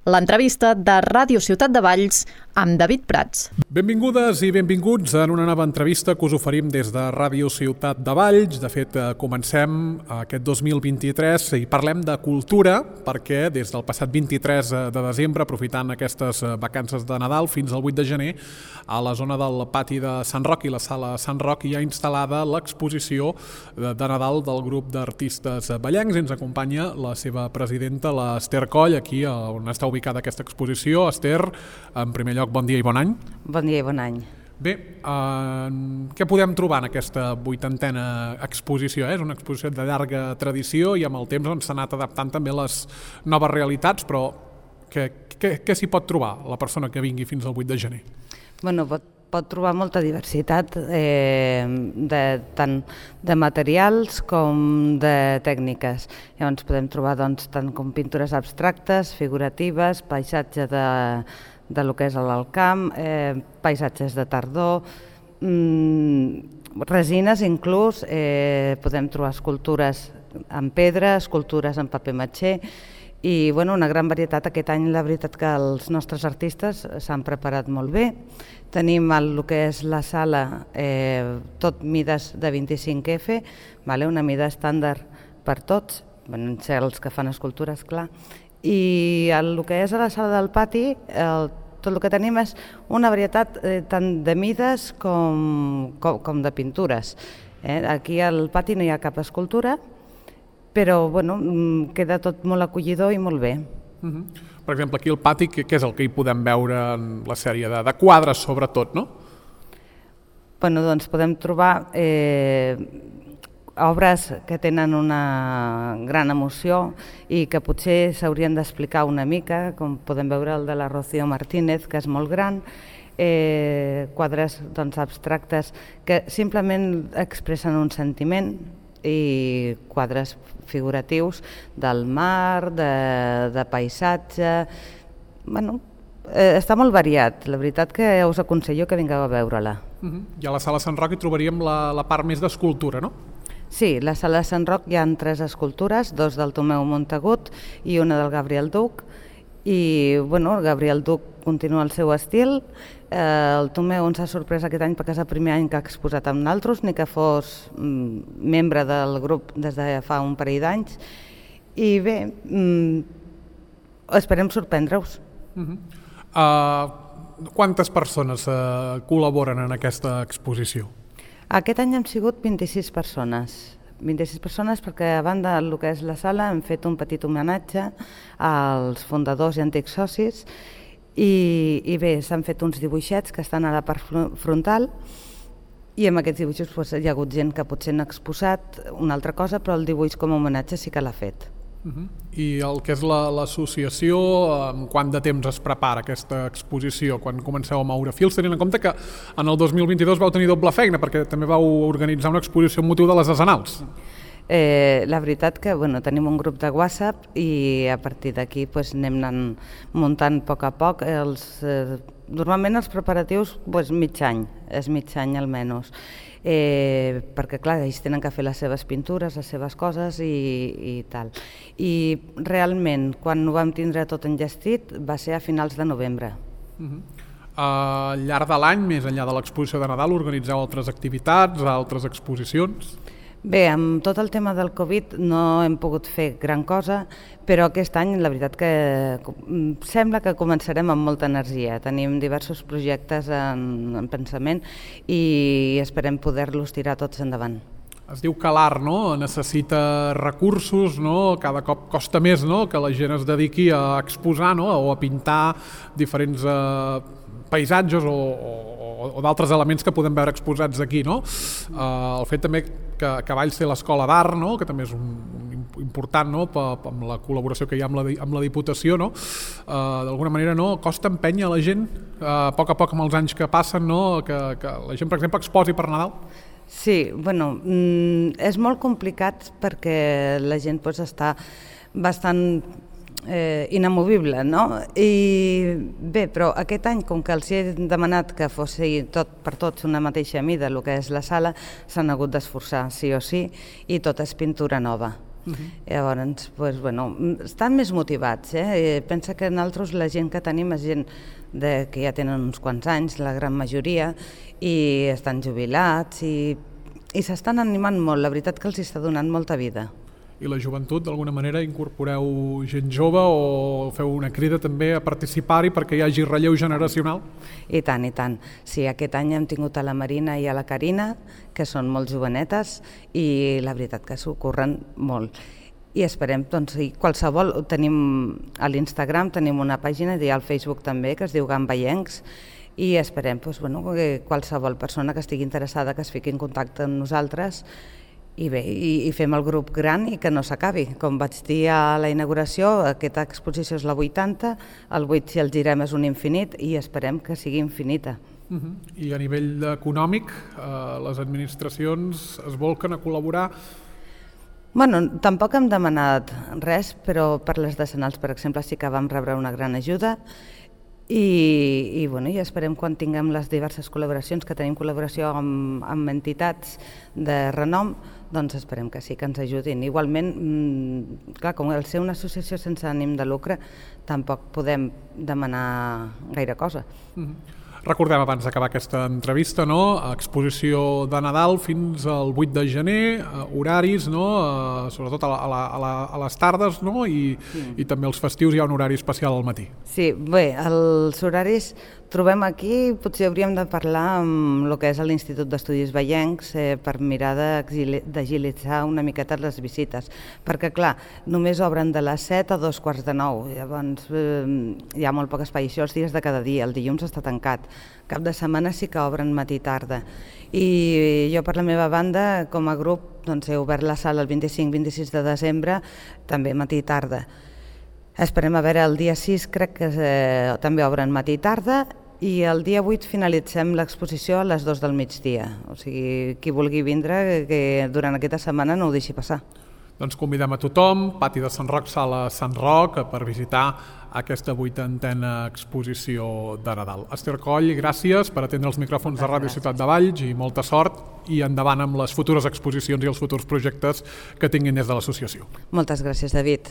l'entrevista de Ràdio Ciutat de Valls amb David Prats. Benvingudes i benvinguts en una nova entrevista que us oferim des de Ràdio Ciutat de Valls. De fet, comencem aquest 2023 i parlem de cultura perquè des del passat 23 de desembre, aprofitant aquestes vacances de Nadal fins al 8 de gener, a la zona del pati de Sant Roc i la sala Sant Roc hi ha instal·lada l'exposició de Nadal del grup d'artistes vallencs. Ens acompanya la seva presidenta, l'Ester Coll, aquí on està ubicada aquesta exposició. Ester, en primer lloc, bon dia i bon any. Bon dia i bon any. Bé, què podem trobar en aquesta 80a exposició? És una exposició de llarga tradició i amb el temps s'ha anat adaptant també a les noves realitats, però què s'hi pot trobar la persona que vingui fins al 8 de gener? Bueno, pot trobar molta diversitat, tant de materials com de tècniques. Llavors podem trobar tant com pintures abstractes, figuratives, paisatge de lo que és l'alt camp, paisatges de tardor, resines inclús, podem trobar escultures en pedra, escultures en paper matxer, i una gran varietat. Aquest any la veritat que els nostres artistes s'han preparat molt bé. Tenim el que és la sala, tot mides de 25F, una mida estàndard per tots, els que fan escultures, clar. I el que és a la sala del pati, tot el que tenim és una varietat tant de mides com de pintures. Aquí al pati no hi ha cap escultura, però queda tot molt acollidor i molt bé. Per exemple, aquí al pati, què és el que hi podem veure en la sèrie de quadres, sobretot, no? Doncs podem trobar obres que tenen una gran emoció i que potser s'haurien d'explicar una mica, com podem veure el de la Rocío Martínez, que és molt gran, quadres abstractes que simplement expressen un sentiment, i quadres figuratius del mar, de paisatge. Està molt variat. La veritat que us aconsello que vingueu a veure-la. I a la sala Sant Roc hi trobaríem la part més d'escultura, no? Sí, a la sala Sant Roc hi ha 3 escultures, 2 del Tomeu Montagut i una del Gabriel Duc. I el Gabriel Duc continua el seu estil. El Tomeu ens ha sorprès aquest any perquè és el primer any que ha exposat amb nosaltres, ni que fos membre del grup des de fa un parell d'anys. I bé, esperem sorprendre-us. Quantes persones col·laboren en aquesta exposició? Aquest any hem sigut 26 persones. 26 persones perquè a banda del que és la sala hem fet un petit homenatge als fundadors i antics socis i bé, s'han fet uns dibuixets que estan a la part frontal i amb aquests dibuixos hi ha hagut gent que potser n'ha exposat una altra cosa, però el dibuix com a homenatge sí que l'ha fet. I el que és l'associació, en quant de temps es prepara aquesta exposició, quan comenceu a moure fils, tenint en compte que en el 2022 vau tenir doble feina perquè també vau organitzar una exposició amb motiu de les Arsenals? La veritat que tenim un grup de WhatsApp i a partir d'aquí anem anant muntant a poc. Normalment els preparatius mig any, és mig any almenys. Perquè clar, ells tenen que fer les seves pintures, les seves coses i tal. I realment, quan ho vam tindre tot enllestit, va ser a finals de novembre. Al llarg de l'any, més enllà de l'exposició de Nadal, organitzeu altres activitats, altres exposicions? Bé, amb tot el tema del Covid no hem pogut fer gran cosa, però aquest any la veritat que sembla que començarem amb molta energia. Tenim diversos projectes en pensament i esperem poder-los tirar tots endavant. Es diu que l'art necessita recursos, cada cop costa més que la gent es dediqui a exposar o a pintar diferents paisatges o d'altres elements que podem veure exposats aquí. El fet també que Valls té l'Escola d'Art, que també és important amb la col·laboració que hi ha amb la Diputació, d'alguna manera costa empènyer a la gent a poc amb els anys que passen, que la gent, per exemple, exposi per Nadal? Sí, és molt complicat perquè la gent està bastant inamovible, no? I bé, però aquest any, com que els he demanat que fos per tots una mateixa mida, el que és la sala, s'han hagut d'esforçar, sí o sí, i tot és pintura nova. Llavors, estan més motivats. Pensa que nosaltres la gent que tenim és gent que ja tenen uns quants anys, la gran majoria, i estan jubilats i s'estan animant molt. La veritat que els està donant molta vida. I la joventut, d'alguna manera, incorporeu gent jove o feu una crida també a participar-hi perquè hi hagi relleu generacional? I tant, i tant. Sí, aquest any hem tingut a la Marina i a la Carina, que són molt jovenetes, i la veritat que s'ho curren molt. I esperem, doncs, qualsevol, tenim a l'Instagram, tenim una pàgina i al Facebook també, que es diu Gambaiencs, i esperem que qualsevol persona que estigui interessada que es fiqui en contacte amb nosaltres i bé, i fem el grup gran i que no s'acabi. Com vaig dir a la inauguració, aquesta exposició és la 80, el 8 si el girem és un infinit i esperem que sigui infinita. I a nivell econòmic, les administracions es volquen a col·laborar? Tampoc hem demanat res, però per les decenals, per exemple, sí que vam rebre una gran ajuda i esperem quan tinguem les diverses col·laboracions, que tenim col·laboració amb entitats de renom, doncs esperem que sí, que ens ajudin. Igualment, clar, com al ser una associació sense ànim de lucre, tampoc podem demanar gaire cosa. Recordem, abans d'acabar aquesta entrevista, exposició de Nadal fins al 8 de gener, horaris, sobretot a les tardes, i també els festius hi ha un horari especial al matí. Sí, bé, els horaris trobem aquí, potser hauríem de parlar amb el que és l'Institut d'Estudis Veiencs per mirar d'agilitzar una miqueta les visites, perquè clar, només obren de les 7 a 8:45, llavors hi ha molt poc espai, això els dies de cada dia, el dilluns està tancat, cap de setmana sí que obren matí i tarda, i jo per la meva banda, com a grup, doncs he obert la sala el 25-26 de desembre, també matí i tarda. Esperem a veure, el dia 6 crec que també obren matí i tarda i el dia 8 finalitzem l'exposició a les 2 del migdia. O sigui, qui vulgui vindre, que durant aquesta setmana no ho deixi passar. Doncs convidem a tothom, Pati de Sant Roc, Sala Sant Roc, per visitar aquesta 80a exposició de Nadal. Esther Coll, gràcies per atendre els micròfons de Ràdio Ciutat de Valls i molta sort i endavant amb les futures exposicions i els futurs projectes que tinguin des de l'associació. Moltes gràcies, David.